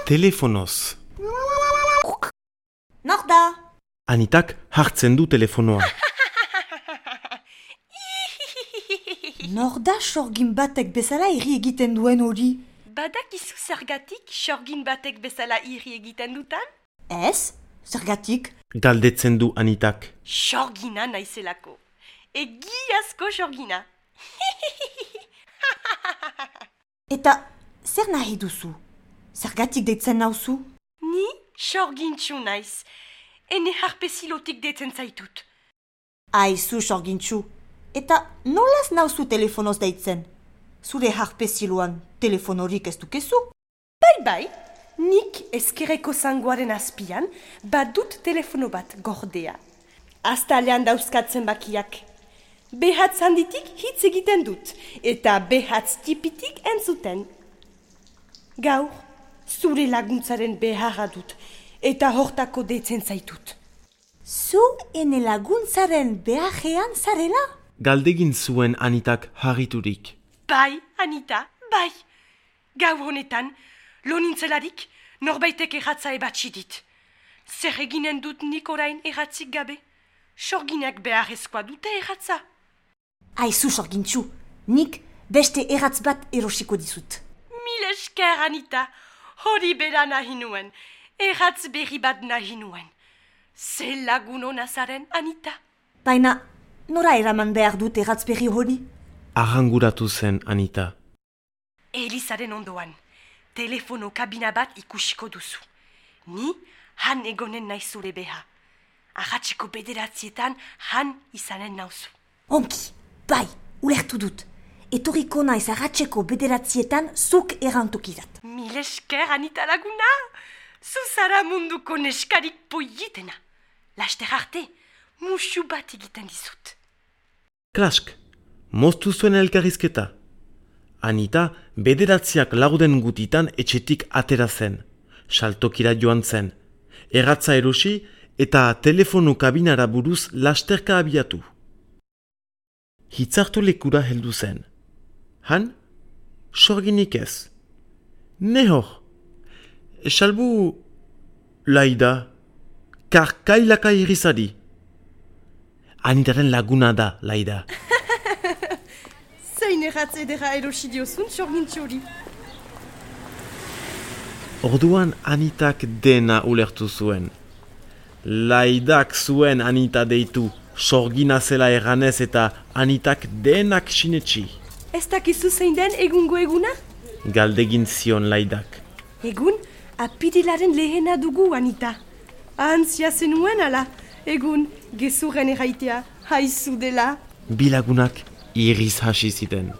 telefonoz. Nor da? Anitak hartzen du telefonoa. Nor da sorgin batek bezala irri egiten duen hori? Badakizu zergatik sorgin batek bezala irri egiten dutan? Ez? Zergatik? Galdetzen du Anitak. Sorgina naizelako. Egiazko sorgina. Eta zer nahi duzu? Zergatik deitzen nauzu? Ni sorgintxu naiz. Ene harpezilotik deitzen zaitut. Aizu sorgintxu. Eta nolaz nauzu telefonoz deitzen? Zure harpeziloan telefonorik ez dukezu? Bai, nik ezkerreko zangoaren azpian badut telefono bat gordea. Aztalean dauzkatzen bakiak. Behatz handitik hitz egiten dut, eta behatz tipitik entzuten. Gaur, zure laguntzaren beharra dut, eta hortako deitzen zaitut. Zu ene laguntzaren beharrean zarela? Galdegin zuen Anitak harriturik. Bai, Anita, bai. Gaur honetan, lo nintzelarik, norbaitek erratza ebatsi dit. Zer eginen dut nik orain erratzik gabe? Sorginak beharrezkoa dute erratza. Aizu sorgintxu, nik beste erratz bat erosiko dizut. Mil esker, Anita, hori bera nahi nuen, erratz berri bat nahi nuen. Ze lagun hona zaren, Anita? Baina, nora eraman behar dut erratz berri hori? Arranguratu zen Anita. Elizaren ondoan, telefono kabina bat ikusiko duzu. Ni han egonen nahi zure beha. Arratseko 9:00 han izanen nauzu. Onki, bai, ulertu dut. Etorriko naiz arratseko 9:00 zuk erantokizat. Mil esker, Anita laguna! Zuzara munduko neskarik poietena. Laster arte, musu bat egiten dizut. Klask, moztu zuen elkarrizketa. Anita 9:00 gutitan etxetik atera zen. Saltokira joan zen. Erratza erosi eta telefono kabinara buruz lasterka abiatu. Hitzartu lekura heldu zen. Han, sorginik ez. Nehor, salbu Laida, karkailaka irizari. Anitaren laguna da, Laida. Zein erratze edera erosi diozun sorgintxori. Orduan Anitak dena ulertu zuen. Laidak zuen Anita deitu, sorgina zela erranez eta Anitak denak sinetxi. Ez dakizu zein den egungo eguna? Galdegin zion Laidak. Egun, apirilaren lehena dugu, Anita. Antzia zenuen ala, egun, gezurren erraitea, haizu dela. Bilagunak iriz hasi ziten.